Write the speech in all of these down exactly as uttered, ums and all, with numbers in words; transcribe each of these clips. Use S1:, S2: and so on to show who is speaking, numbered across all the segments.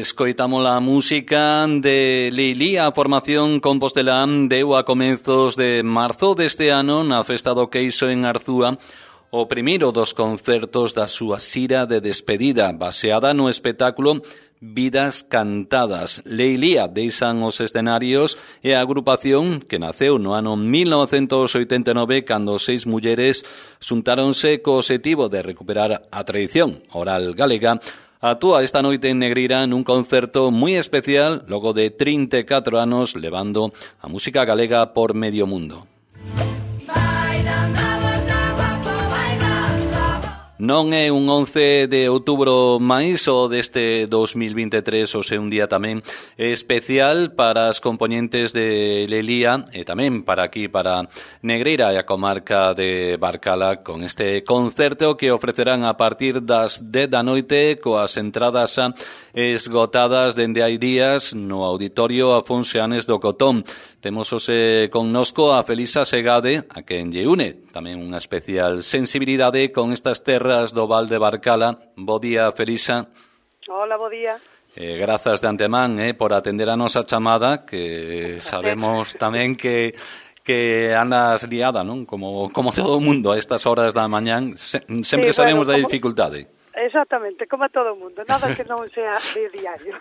S1: escoitamos a música de Leilía, a formación compostelán deu a comenzos de marzo deste ano na Festa do Queixo en Arzúa o primeiro dos concertos da súa xira de despedida, baseada no espectáculo Vidas Cantadas. Leilía deixan os escenarios e a agrupación que naceu no ano mil novecentos oitenta e nove cando seis mulleres xuntáronse co obxectivo de recuperar a tradición oral galega. Actúa esta noite en Negreira nun concerto moi especial logo de trinta e catro anos levando a música galega por medio mundo. Non é un once de outubro máis o deste dos mil vinte e tres, o seu un día tamén especial para as componentes de Leilía e tamén para aquí, para Negreira e a comarca de Barcala, con este concerto que ofrecerán a partir das dez da noite coas entradas esgotadas dende hai días no Auditorio Afonso Anes do Cotón. Temos hoxe connosco a Felisa Segade, a quen lle une tamén unha especial sensibilidade con estas terras do Val de Barcala. Bo día, Felisa.
S2: Hola, bo día.
S1: Eh, grazas de antemán eh, por atender a nosa chamada, que sabemos tamén que que andas liada, non? Como, como todo o mundo a estas horas da mañán, se, sempre sí, sabemos bueno, da dificultade.
S2: Exactamente, como a todo o mundo, nada que non sea de diario.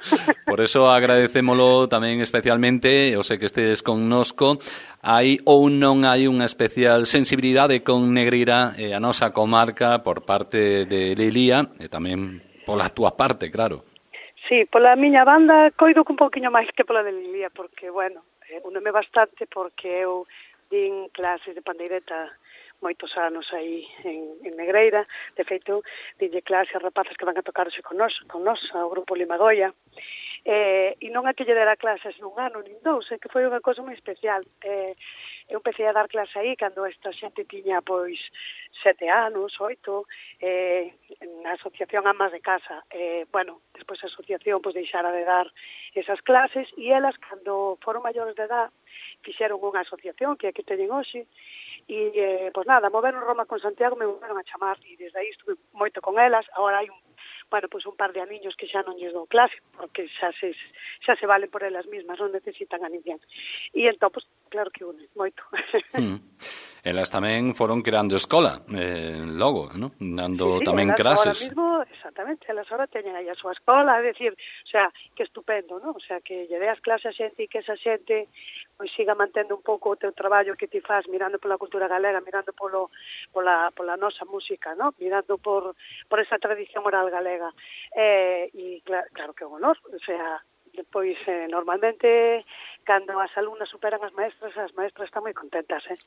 S1: Por eso agradecémolo tamén especialmente, eu sei que estedes connosco. Hai ou non hai unha especial sensibilidade con Negreira e a nosa comarca por parte de Leilía e tamén pola túa parte, claro.
S2: Sí, pola miña banda coido que un pouquiño máis que pola de Leilía, porque, bueno, eh, unome bastante porque eu din clases de pandeireta moitos anos aí en, en Negreira. De feito, dinlle clase a rapazas que van a tocarse con nos, con nos, ao grupo Limagoia. Eh, e non é que lle dera clases nun ano, nin dous, é que foi unha cosa moi especial. Eh, eu empecé a dar clase aí cando esta xente tiña, pois, sete anos, oito, eh, na asociación Amas de Casa. Eh, bueno, despois a asociación, pois, deixara de dar esas clases, e elas, cando foron maiores de edad, fixeron unha asociación que é que teñen hoxe. E, eh, pois nada, moveron Roma con Santiago, me volveron a chamar, e desde aí estuve moito con elas. Agora hai un, bueno, pois un par de aniños que xa non lles dou clase, porque xa se, xa se valen por elas mismas, non necesitan a ninguén. E entón, pois, claro que une, moito. Mm.
S1: Elas tamén foron creando escola, eh, logo, non? Dando
S2: sí, sí,
S1: tamén
S2: elas
S1: clases.
S2: Ahora mismo, exactamente, elas ahora teñen aí a súa escola, é dicir, o sea, que estupendo, non? O sea, que lle deas clase a xente e que esa xente pois siga mantendo un pouco o teu traballo que ti faz, mirando pola cultura galega, mirando polo, pola, pola nosa música, ¿no? Mirando por, por esa tradición oral galega. Eh, e claro, claro que é un honor, o sea, depois eh, normalmente cando as alumnas superan as maestras, as maestras están moi contentas, eh?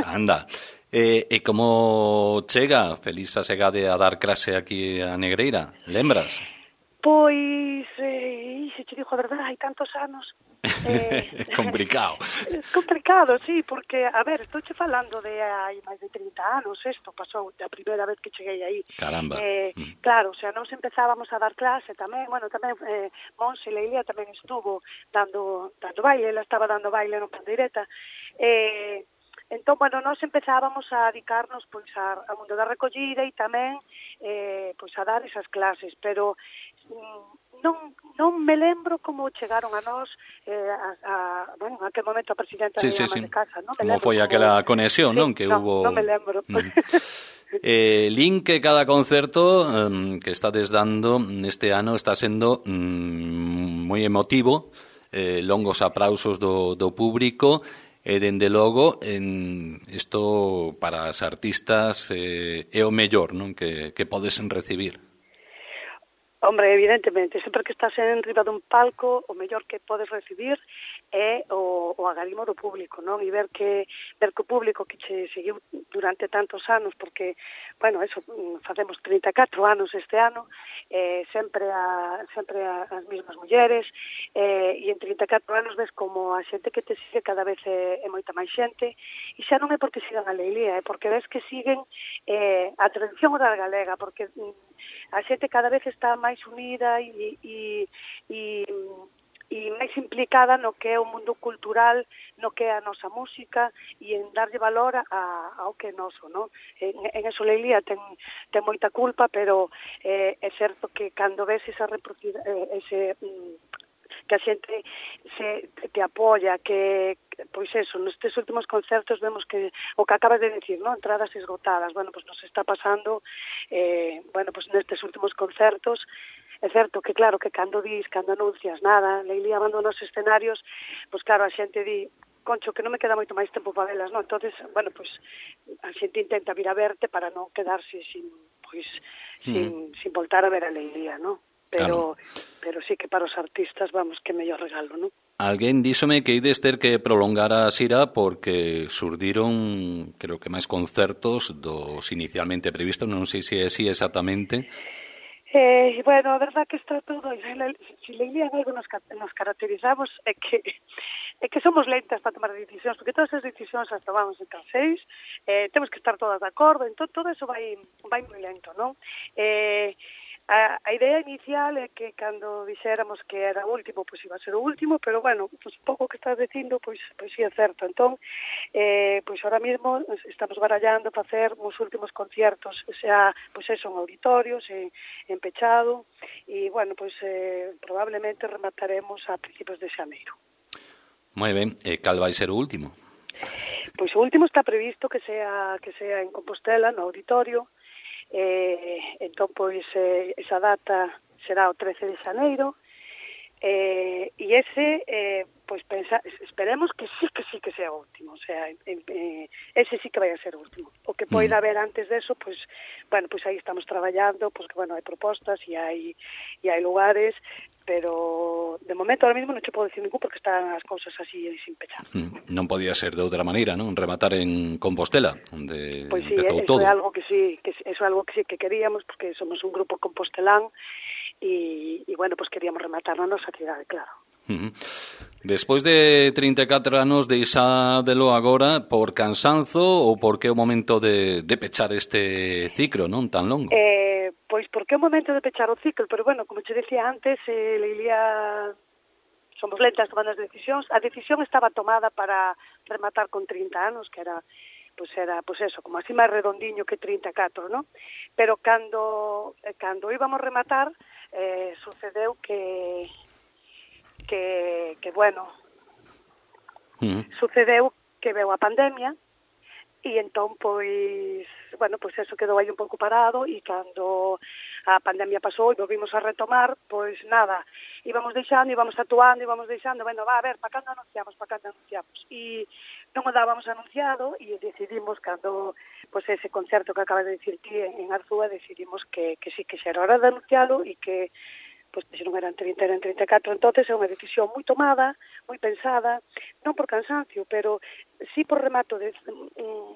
S1: Anda, eh, e como chega Felisa Segade a dar clase aquí a Negreira, lembras?
S2: Pois, eh, se te digo a verdade, hai tantos anos.
S1: Eh, complicado.
S2: Complicado, sí, porque, a ver, estou che falando de hai máis de trinta anos, isto pasou a primeira vez que cheguei aí.
S1: Caramba.
S2: Eh, mm. Claro, o sea, nos empezábamos a dar clase tamén, bueno, tamén eh, Monse Leilía tamén estuvo dando, dando baile, ela estaba dando baile no pandeireta. Eh, entón, bueno, nos empezábamos a dedicarnos pois a, a mundo da recollida e tamén eh, pois a dar esas clases, pero non, non me lembro como chegaron a nós eh, a, a, bueno, a aquel momento a presidenta
S1: sí,
S2: de
S1: sí,
S2: Amas
S1: sí.
S2: de Casa, non me
S1: como
S2: lembro
S1: foi
S2: como...
S1: aquela conexión,
S2: sí,
S1: non? Que
S2: no,
S1: hubo...
S2: non me lembro.
S1: Mm. eh, Lin, que cada concerto um, que estades dando neste ano está sendo um, moi emotivo, eh, longos aplausos do, do público, e dende logo en isto para as artistas eh, é o mellor, non? Que, que podes recibir.
S2: Hombre, evidentemente, sempre que estás en riba dun palco, o mellor que podes recibir é o, o agarimo do público, non? E ver que ver que o público que che seguiu durante tantos anos, porque, bueno, eso, facemos trinta e catro anos este ano, eh, sempre a, sempre a, as mesmas mulleres, eh, e en trinta e catro anos ves como a xente que te sigue cada vez é, é moita máis xente, e xa non é porque sigan a Leilía, é porque ves que siguen eh, a tradición oral galega, porque a xente cada vez está máis unida e, e, e e máis implicada no que é o mundo cultural, no que é a nosa música e en darlle valor a, ao que é noso, non? En, en eso Leilía ten, ten moita culpa, pero eh, é certo que cando ves esa reproducida, eh, ese... Mm, que a xente se te apoia, que, pois eso, nestes últimos concertos vemos que, o que acabas de decir, non? Entradas esgotadas, bueno, pois nos está pasando, eh, bueno, pois nestes últimos concertos, é certo que, claro, que cando dis, cando anuncias nada, Leilía abandona os escenarios, pois claro, a xente di, concho, que non me queda moito máis tempo para velas, non? Entonces, bueno, pois a xente intenta vir a verte para non quedarse sin, pois, mm. sin, sin voltar a ver a Leilía, non? Pero, claro. pero sí que para os artistas, vamos, que mellor regalo, non?
S1: Alguén díxome que ides ter que prolongar a xira porque surdiron, creo que máis concertos dos inicialmente previstos, non sei se é así exactamente.
S2: Eh, bueno, a verdad que está todo, se Leilía en algo nos, nos caracterizamos é que é que somos lentas para tomar decisións, porque todas as decisións as tomamos entre as seis, eh, temos que estar todas de acordo, entón todo eso vai, vai moi lento, non? Eh, A, a idea inicial é que cando dixéramos que era o último, pois iba a ser o último, pero bueno, pois pouco que estás dicindo, pois pois si é certo. Entón, eh, pois ahora mesmo estamos barallando para facer os últimos conciertos, xa, pois eso, en auditorios, en, en pechado, e bueno, pois eh, probablemente remataremos a principios de xaneiro.
S1: Moi ben, e cal vai ser o último?
S2: Pois o último está previsto que sea que sea en Compostela, no auditorio. Eh, entón, pois, eh, esa data será o trece de xaneiro, eh, e ese, eh, pois, pensa, esperemos que sí, que sí que sea o último, o sea, eh, ese sí que vai a ser o último. O que poida haber antes deso, pois, bueno, pois aí estamos traballando, pois que, bueno, hai propostas e hai, e hai lugares, pero de momento ahora mesmo non te podo decir ningún porque están as cousas así sin pechar.
S1: Mm, non podía ser de outra maneira, non? Rematar en Compostela, onde
S2: pois sí,
S1: empezou
S2: eso
S1: todo.
S2: É algo que sí, que eso é algo que sí que queríamos, porque somos un grupo compostelán e, e bueno, pues queríamos rematar na nosa cidade, claro.
S1: Uh-huh. Despois de trinta e catro anos deixádelo agora por cansanzo ou porque é o momento de, de pechar este ciclo, non tan longo?
S2: Eh, pois porque é o momento de pechar o ciclo, pero bueno, como che decía antes, eh, Leilía, somos lentas tomando as decisións. A decisión estaba tomada para rematar con trinta anos, que era, pois era, pois eso, como así máis redondiño que trinta e catro, non? Pero cando, cando íbamos rematar, eh, sucedeu que... que, que bueno, uh-huh. sucedeu que veu a pandemia e entón, pois, bueno, pois eso quedou aí un pouco parado e cando a pandemia pasou e volvimos a retomar, pois nada, íbamos deixando, íbamos actuando, íbamos deixando, bueno, va, a ver, para cando anunciamos, para cando anunciamos e non o dábamos anunciado e decidimos cando, pois ese concerto que acabas de dicir ti en Arzúa, decidimos que, que sí que xa era hora de anuncialo e que pois se non eran trinta, eran trinta e catro, entonces é unha decisión moi tomada, moi pensada, non por cansancio, pero sí por remato de un,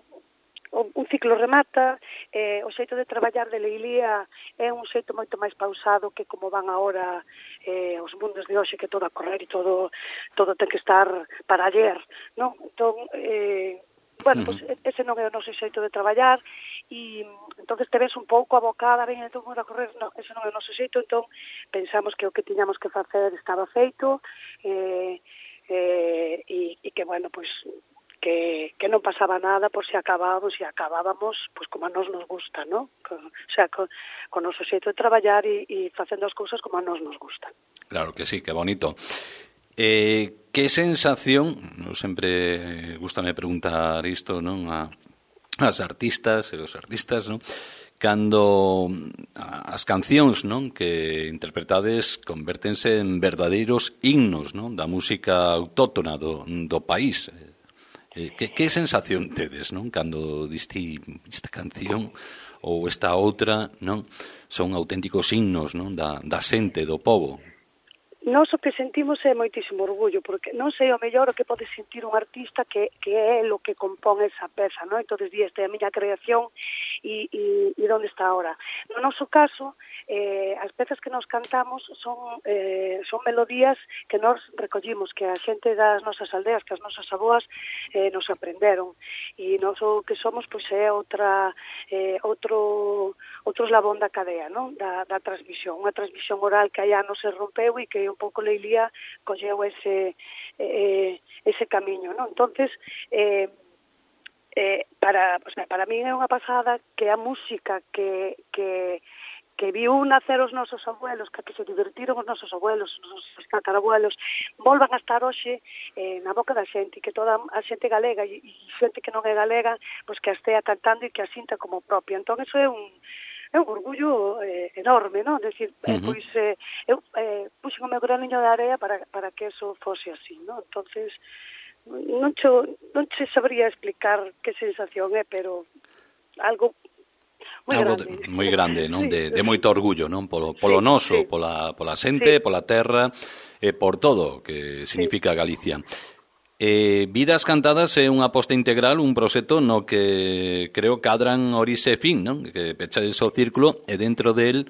S2: un ciclo remata, eh, o xeito de traballar de Leilía é un xeito moito máis pausado que como van agora eh, os mundos de hoxe, que todo a correr e todo todo ten que estar para ayer, non? Entón, eh, bueno, pues ese non é o noso xeito de traballar e entonces te ves un pouco abocada, ben, entón vamos a correr, non, ese non é o noso xeito, entón pensamos que o que tiñamos que facer estaba feito eh, eh, e, e que, bueno, pues que, que non pasaba nada por se acabábamos e acabábamos pues como a nos nos gusta, ¿no? Con, o sea, con, con o noso xeito de traballar e, e facendo as cousas como a nos nos gustan.
S1: Claro que sí, que bonito. Eh, que sensación, eu sempre gustame preguntar isto, non, a as artistas e os artistas, non, cando as cancións, non, que interpretades convértense en verdadeiros himnos, non, da música autóctona do, do país. Eh, que, que sensación tedes, non, cando diste esta canción ou esta outra, non, son auténticos himnos, non, da, da xente, do pobo?
S2: Nós o que sentimos é moitísimo orgullo, porque non sei o mellor o que pode sentir un artista que, que é o que compón esa peza, non? Entón, di, esta é a miña creación e, e, e onde está ahora. No noso caso, eh, as pezas que nos cantamos son eh, son melodías que nos recollimos, que a xente das nosas aldeas, que as nosas aboas eh, nos aprenderon, e nós o que somos pois é outra eh, outro outro eslabón da cadea, non? Da, da transmisión, unha transmisión oral que hai anos se rompeu e que un pouco Leilía colleu ese eh, ese camiño, non? Entonces, eh, eh, para, o sea, para mí é unha pasada que a música que, que, que viu nacer os nosos abuelos, que, que se divertiron os nosos abuelos, os nosos tatarabuelos, volvan a estar hoxe eh, na boca da xente, que toda a xente galega e, e xente que non é galega, pois que a estea cantando e que a sinta como propia. Entón, eso é un é un orgullo eh, enorme, non? Decir, uh -huh. eh, pois eh, eu eh, puxen o meu graniño de area para, para que eso fose así, non? Entonces, non che, non che sabría explicar que sensación é, pero algo moi
S1: algo
S2: grande.
S1: De, moi grande, non?
S2: Sí,
S1: de, de moito orgullo, non? Polo, polo
S2: sí,
S1: noso,
S2: sí.
S1: pola, pola xente, sí. Pola terra, e por todo que significa sí. Galicia. Eh, Vidas Cantadas é unha aposta integral, un proxecto no que creo cadran orixe e fin, non? Que pechades o círculo e dentro del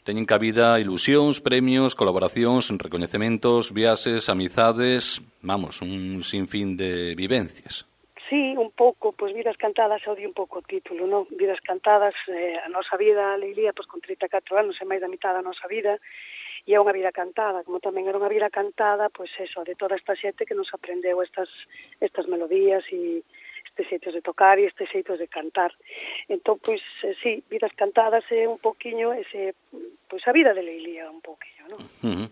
S1: teñen cabida ilusións, premios, colaboracións, recoñecementos, viaxes, amizades, vamos, un sinfín de vivencias.
S2: Sí, un pouco, pois Vidas Cantadas odio un pouco o título, non? Vidas Cantadas, eh, a nosa vida, Leilía, pois con trinta e catro anos, é máis da mitad da nosa vida, e é unha vida cantada, como tamén era unha vida cantada, pois eso, de toda esta xente que nos aprendeu estas estas melodías e estes xeitos de tocar e estes xeitos de cantar. Entón, pois, eh, sí, Vidas Cantadas é un poquinho ese, pois a vida de Leilía un poquinho, non?
S1: Uh -huh.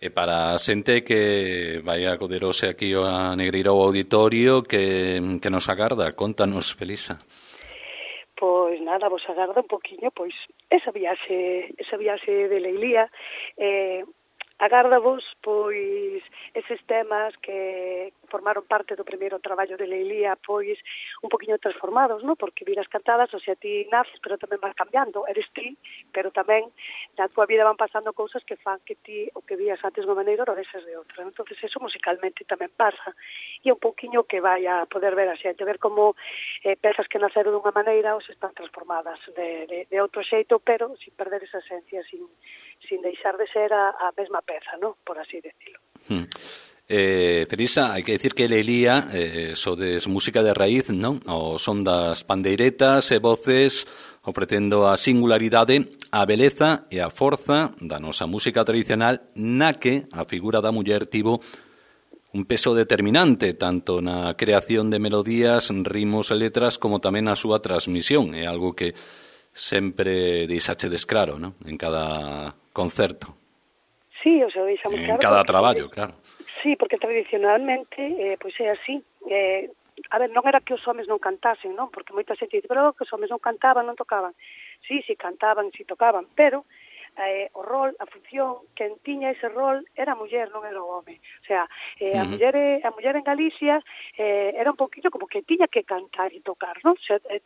S1: E para a xente que vai acoderose aquí a Negreira ao auditorio que, que nos agarda, contanos, Felisa.
S2: Pois nada, vos agarda un poquinho, pois esa viaxe, esa viaxe de Leilía, eh, agárdavos, pois, eses temas que formaron parte do primeiro traballo de Leilía, pois, un poquinho transformados, non? Porque Vidas Cantadas, o sea, ti naces, pero tamén vas cambiando, eres ti, pero tamén na tua vida van pasando cousas que fan que ti, o que vías antes de unha maneira, o veses de outra. Entonces, eso musicalmente tamén pasa, e un poquinho que vai a poder ver a xente, ver como eh, pezas que naceron dunha maneira ou se están transformadas de, de, de outro xeito, pero sin perder esa esencia, sin sin deixar de ser a, a mesma peza, ¿no? Por así decirlo.
S1: Hmm. Eh, Felisa, hai que decir que Leilía eh, sodes música de raíz, non? O son das pandeiretas e voces ofrecendo a singularidade, a beleza e a forza da nosa música tradicional na que a figura da muller tivo un peso determinante tanto na creación de melodías, ritmos e letras como tamén na súa transmisión. É algo que sempre deixachedes claro, non? En cada concerto.
S2: Sí, o sea, deixamos claro.
S1: En cada traballo, claro.
S2: Sí, porque tradicionalmente, eh, pois é así. Eh, a ver, non era que os homes non cantasen, non? Porque moita xente dice, pero que os homes non cantaban, non tocaban. Sí, sí, cantaban, sí tocaban, pero eh, o rol, a función, quen tiña ese rol era a muller, non era o home. O sea, eh, a, uh -huh. muller, a muller en Galicia eh, era un poquinho como que tiña que cantar e tocar, non? O sea, eh,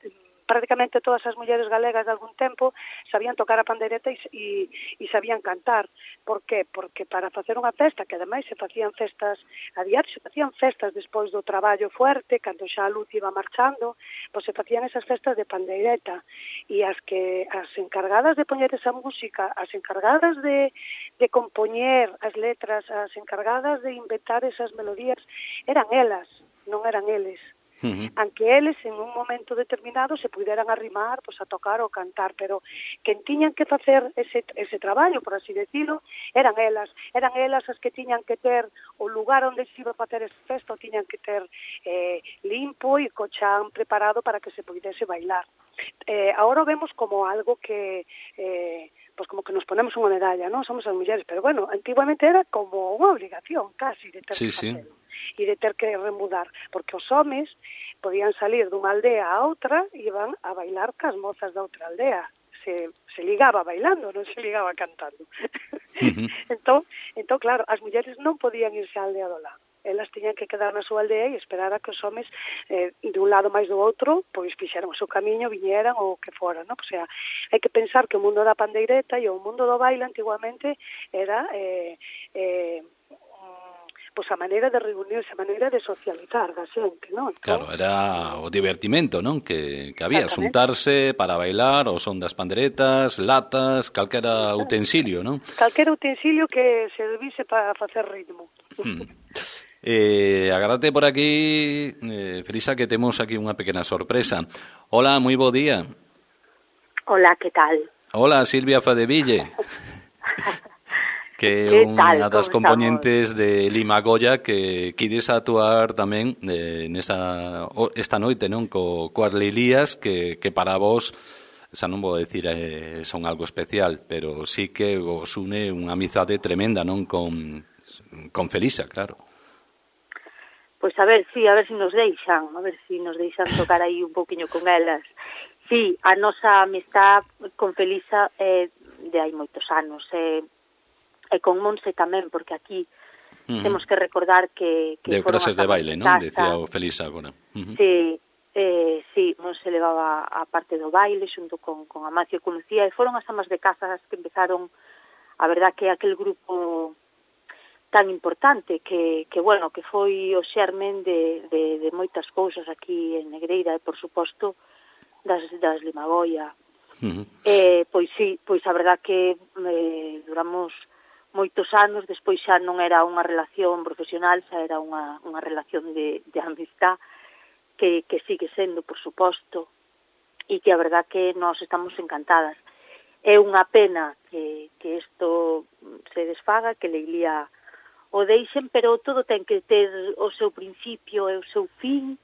S2: prácticamente todas as mulleres galegas de algún tempo sabían tocar a pandeireta e, e, e sabían cantar. Por qué? Porque para facer unha festa, que ademais se facían festas a diario, se facían festas despois do traballo fuerte, cando xa a luz iba marchando, pois se facían esas festas de pandeireta, e as que as encargadas de poñer esa música, as encargadas de, de compoñer as letras, as encargadas de inventar esas melodías, eran elas, non eran eles. Uh-huh. Aunque eles en un momento determinado se puderan arrimar pois, a tocar ou cantar, pero quen tiñan que facer ese, ese traballo, por así decirlo, eran elas, eran elas as que tiñan que ter o lugar onde se iba a facer ese festo, tiñan que ter eh, limpo e co chan preparado para que se pudese bailar. Eh, ahora vemos como algo que eh, pues como que nos ponemos unha medalla, non? Somos as mulleres, pero bueno, antiguamente era como unha obligación casi de ter
S1: sí,
S2: que facelo.
S1: Sí.
S2: E de ter que remudar, porque os homes podían salir dunha aldea a outra e iban a bailar cas mozas da outra aldea. Se, se ligaba bailando, non se ligaba cantando. Uh-huh. entón, entón, claro, as mulleres non podían irse á aldea do lado. Elas tiñan que quedar na súa aldea e esperar a que os homes eh, de un lado máis do outro pois fixeran o seu camiño, viñeran ou que fora, non? O sea, hai que pensar que o mundo da pandeireta e o mundo do baile antiguamente era eh, eh, pois a maneira de reunirse, a maneira de socializar da xente, non? Entón,
S1: claro, era o divertimento, non? Que, que había, xuntarse para bailar, o son das panderetas, latas, calquera utensilio, non?
S2: Calquera utensilio que servise para facer ritmo.
S1: Hmm. Eh, agárrate por aquí, eh, Felisa, que temos aquí unha pequena sorpresa. Hola, moi bo día.
S3: Hola, que tal?
S1: Hola, Silvia Fadeville. Que é unha das componentes de Limagoya que quides actuar tamén eh, nesa, esta noite, non? Co, coas Leilías, que, que para vos, xa non vou decir eh, son algo especial, pero sí que vos une unha amizade tremenda, non? Con, con Felisa, claro.
S3: Pois a ver, sí, a ver se si nos deixan, a ver se si nos deixan tocar aí un pouquiño con elas. Sí, a nosa amistad con Felisa é eh, de hai moitos anos, eh, e con Monse tamén, porque aquí uh-huh. temos que recordar que... que
S1: de clases de baile, non? Decía o Felisa agora. Uh-huh.
S3: Sí, eh, sí, Monse levaba a parte do baile xunto con, con Amancio e con Lucía, e foron as amas de casa as que empezaron, a verdad que aquel grupo tan importante, que, que bueno, que foi o xermen de, de, de moitas cousas aquí en Negreira, e por suposto das, das Limagoya. Uh-huh. Eh, pois sí, pois a verdad que eh, duramos moitos anos, despois xa non era unha relación profesional, xa era unha, unha relación de, de amistad que, que sigue sendo, por suposto, e que a verdad que nós estamos encantadas. É unha pena que, que isto se desfaga, que Leilía o deixen, pero todo ten que ter o seu principio e o seu fin.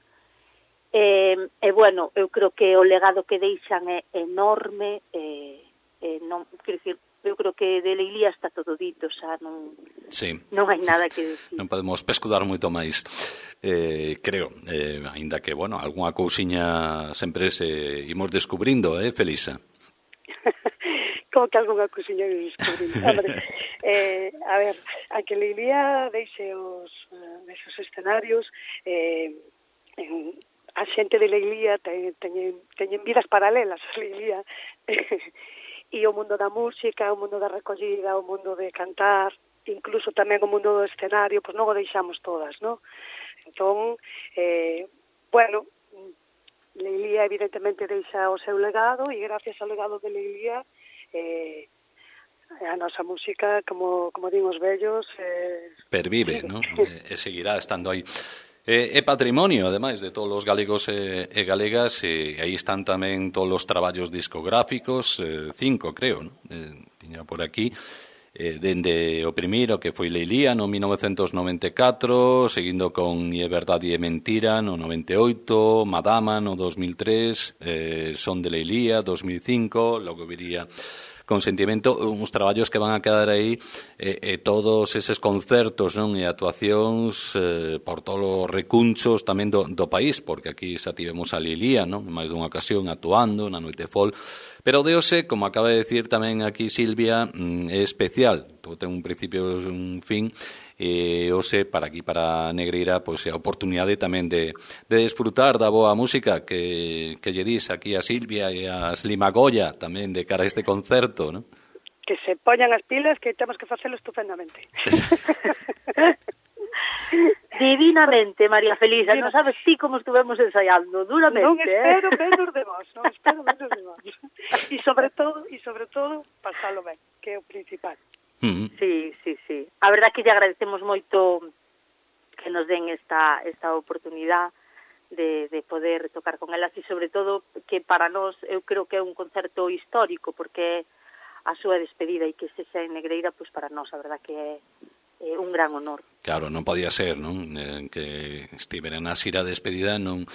S3: E, e bueno, eu creo que o legado que deixan é enorme, e, e non, quero dicir, eu creo que de Leilía está todo dito, xa non,
S1: sí.
S3: non hai nada que decir.
S1: Non podemos pescudar moito máis, eh, creo, eh, ainda que, bueno, algunha cousiña sempre se imos descubrindo, eh, Felisa?
S2: Como que algunha cousiña que descubrindo? Hombre, eh, a ver, a que Leilía deixe os, uh, esos escenarios, eh, en, a xente de Leilía teñen, teñen, teñen vidas paralelas a Leilía, e o mundo da música, o mundo da recollida, o mundo de cantar, incluso tamén o mundo do escenario, pois non o deixamos todas, non? Entón, eh, bueno, Leilía evidentemente deixa o seu legado, e gracias ao legado de Leilía, eh, a nosa música, como, como din os vellos... Eh,
S1: pervive, non? E, e seguirá estando aí. É, é patrimonio, ademais, de todos os galegos e, e galegas, e aí están tamén todos os traballos discográficos, eh, cinco, creo, non? Eh, tiña por aquí, eh, dende o primeiro, que foi Leilía, no mil novecentos noventa e catro, seguindo con E Verdade e Mentira, no noventa e oito, Madama, no dos mil tres, eh, Son de Leilía, dos mil cinco, logo viría Consentimento, uns traballos que van a quedar aí, e, e todos eses concertos, non, e actuacións eh, por todos os recunchos tamén do, do país, porque aquí xa tivemos a Leilía, non, en máis dunha ocasión actuando na Noite Fol, pero o de hoxe, como acaba de decir tamén aquí Silvia, é especial, todo ten un principio e un fin, e hoxe para aquí, para Negreira, pois é a oportunidade tamén de, de desfrutar da boa música que, que lle dis aquí a Silvia e a Limagoya tamén de cara a este concerto, non?
S2: Que se poñan as pilas, que temos que facelo estupendamente.
S3: Divinamente, María Felisa, non sabes ti como estuvemos ensaiando, duramente.
S2: Non espero
S3: eh?
S2: menos de vos, non espero menos de vos. E sobre todo, e sobre todo, pasalo ben, que é o principal.
S1: Uh-huh.
S3: Sí, sí, sí. A verdad que lle agradecemos moito que nos den esta esta oportunidade de, de poder tocar con elas, e sobre todo que para nós eu creo que é un concerto histórico, porque a súa despedida e que se xa en Negreira, pois para nós a verdad que é, é un gran honor.
S1: Claro, non podía ser, non? Eh, que estiveran a xira despedida, non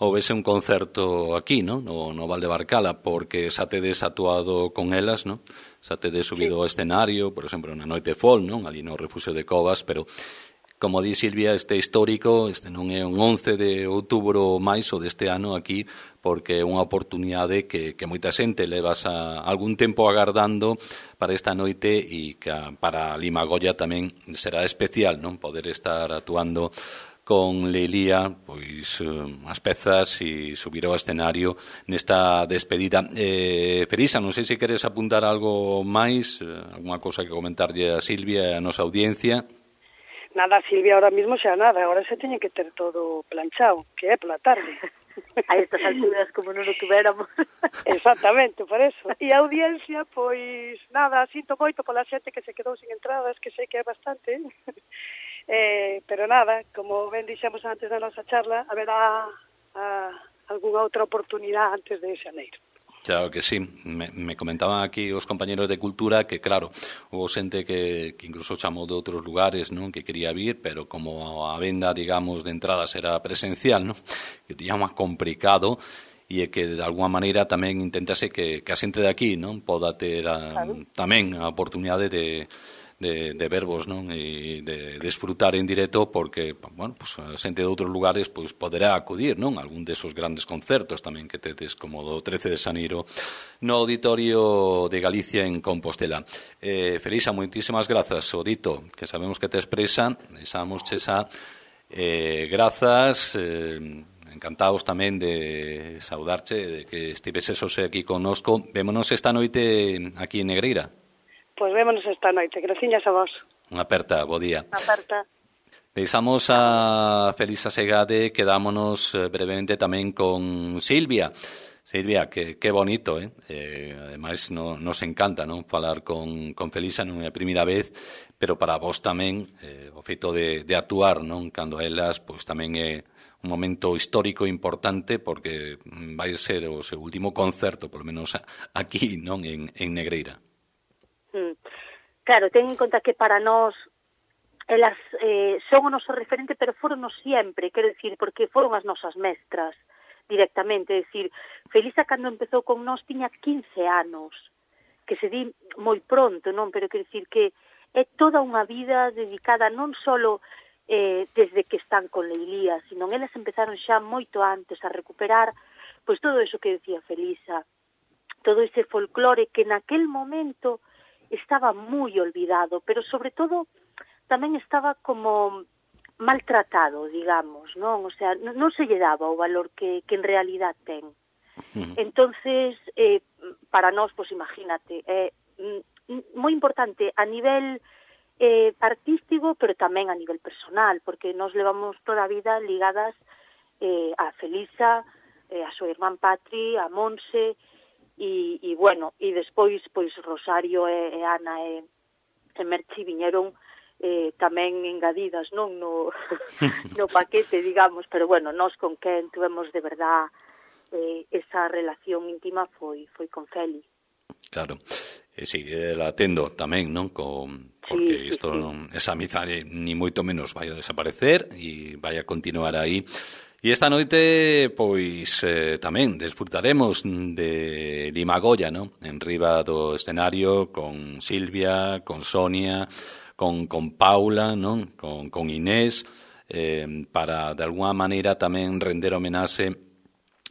S1: houvese un concerto aquí, non? No, no Valdebarcala, porque xa tedes actuado con elas, non? Xa tedes subido ao escenario, por exemplo, na Noite Fol, non? Ali no Refugio de Covas, pero, como di Silvia, este histórico, este non é un once de outubro máis o deste ano aquí, porque é unha oportunidade que, que moita xente levas a algún tempo agardando para esta noite, e que para Limagoya tamén será especial, non? Poder estar actuando con Leilía, pois as pezas e subir ao escenario nesta despedida. Eh, Felisa, non sei se queres apuntar algo máis, algunha cousa que comentarlle a Silvia e a nosa audiencia.
S2: Nada, Silvia, ahora mismo xa nada, ahora se teñe que ter todo planchado, que é pola tarde.
S3: A estas alturas, como non o tuveramos.
S2: Exactamente, por eso. E a audiencia, pois, nada, sinto moito pola xente que se quedou sin entradas, que sei que é bastante, eh, pero nada, como ben dixemos antes da nosa charla, haberá a, algunha outra oportunidade antes de xaneiro.
S1: Claro que sí, me, me comentaban aquí os compañeros de Cultura que, claro, hubo xente que, que incluso chamou de outros lugares, non, que quería vir, pero como a venda, digamos, de entradas era presencial, non, que tiña máis complicado, e é que de alguma maneira tamén intentase que, que a xente de aquí, non, poda ter a, claro, tamén a oportunidade de de, de verbos, non, e de desfrutar en directo, porque, bueno, pues a xente de outros lugares pois poderá acudir, non, algún desos grandes concertos tamén que tedes, como do trece de xaneiro no Auditorio de Galicia en Compostela. Eh, Felisa, moitísimas grazas, o dito, que sabemos que te expresa, examos chesa, eh, grazas, eh, encantados tamén de saudarche, de que estiveses hoxe aquí connosco. Vémonos esta noite aquí en Negreira.
S2: Pois vémonos esta noite, graciñas a vos.
S1: Unha aperta, bo día.
S2: Unha aperta.
S1: Deixamos a Felisa Segade, quedámonos brevemente tamén con Silvia. Silvia, que, que bonito, eh? eh ademais, no, nos encanta, non, falar con, con Felisa, non é a primeira vez, pero para vos tamén, eh, o feito de, de actuar, non, cando a elas, pois tamén é un momento histórico importante, porque vai ser o seu último concerto, polo menos aquí, non, en, en Negreira.
S3: Mm. Claro, ten en conta que para nós elas eh, son o noso referente, pero foron sempre, quero dicir, porque foron as nosas mestras directamente, é dicir, Felisa cando empezou con nós tiña quince anos, que se di moi pronto, non, pero quero dicir que é toda unha vida dedicada non solo eh, desde que están con Leilía, sino elas empezaron xa moito antes a recuperar pois todo eso que decía Felisa, todo ese folclore que naquel momento estaba moi olvidado, pero sobre todo tamén estaba como maltratado, digamos, non? O sea, non se lle daba o valor que, que en realidad ten. Entonces, eh, para nós, pois imagínate, é eh, moi importante a nivel eh, artístico, pero tamén a nivel personal, porque nós levamos toda a vida ligadas eh, a Felisa, eh, a súa irmán Patri, a Monse, E, e bueno, e despois, pois, Rosario e, e Ana e, e Merchi viñeron eh, tamén engadidas, non, no, no paquete, digamos, pero bueno, nós con quen tuvemos de verdad eh, esa relación íntima foi foi con Feli.
S1: Claro, e si, eh, la atendo tamén, non, con, porque sí, isto, sí, non, esa amizade ni moito menos vai a desaparecer e vai a continuar aí. E esta noite, pois, eh, tamén desfrutaremos de Limagoya, non? En riba do escenario, con Silvia, con Sonia, con, con Paula, non? Con, con Inés, eh, para, de alguna maneira, tamén render homenaxe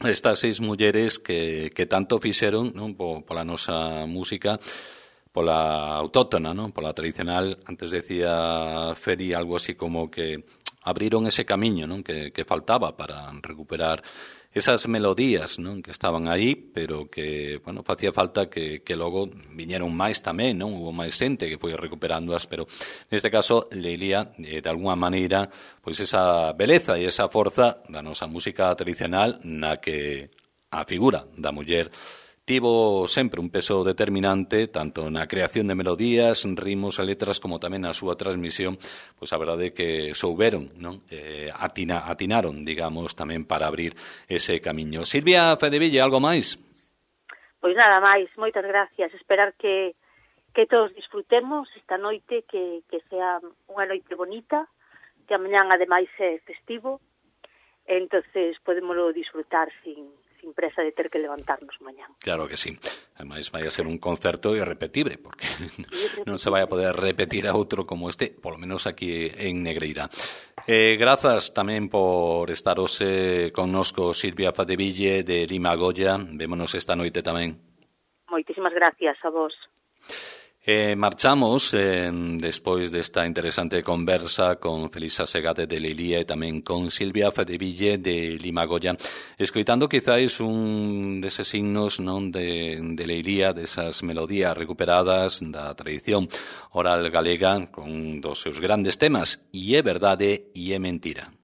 S1: a estas seis mulleres que, que tanto fixeron, non? Pola nosa música, pola autóctona, non? Pola tradicional. Antes decía Feri algo así como que abriron ese camiño, non, que, que faltaba para recuperar esas melodías, non, que estaban aí, pero que, bueno, facía falta que, que logo viñeron máis tamén, non, hubo máis xente que foi recuperándoas, pero neste caso Leilía, eh, de alguna maneira, pois esa beleza e esa forza da nosa música tradicional na que a figura da muller tivo sempre un peso determinante tanto na creación de melodías, ritmos e letras como tamén na súa transmisión, pois a verdade é que souberon, non? Eh, atina, atinaron, digamos, tamén para abrir ese camiño. Silvia Fedeville, algo máis?
S3: Pois nada máis, moitas gracias. Esperar que, que todos disfrutemos esta noite, que, que sea unha noite bonita, que amanhã ademais é festivo, entonces podémoslo disfrutar sin... sin presa de ter que levantarnos mañán.
S1: Claro que sí. Ademais vai a ser un concerto irrepetible, porque non se vai a poder repetir a outro como este, polo menos aquí en Negreira. Eh, grazas tamén por estar hoxe connosco, Silvia Fadeville de Limagoya. Vémonos esta noite tamén.
S3: Moitísimas gracias a vos.
S1: Eh, marchamos eh, despois desta interesante conversa con Felisa Segade de Leilía e tamén con Silvia Fedeville de Limagoya, escoitando quizáis un deses signos non de, de Leilía, desas melodías recuperadas da tradición oral galega con dos seus grandes temas, e é verdade e é mentira.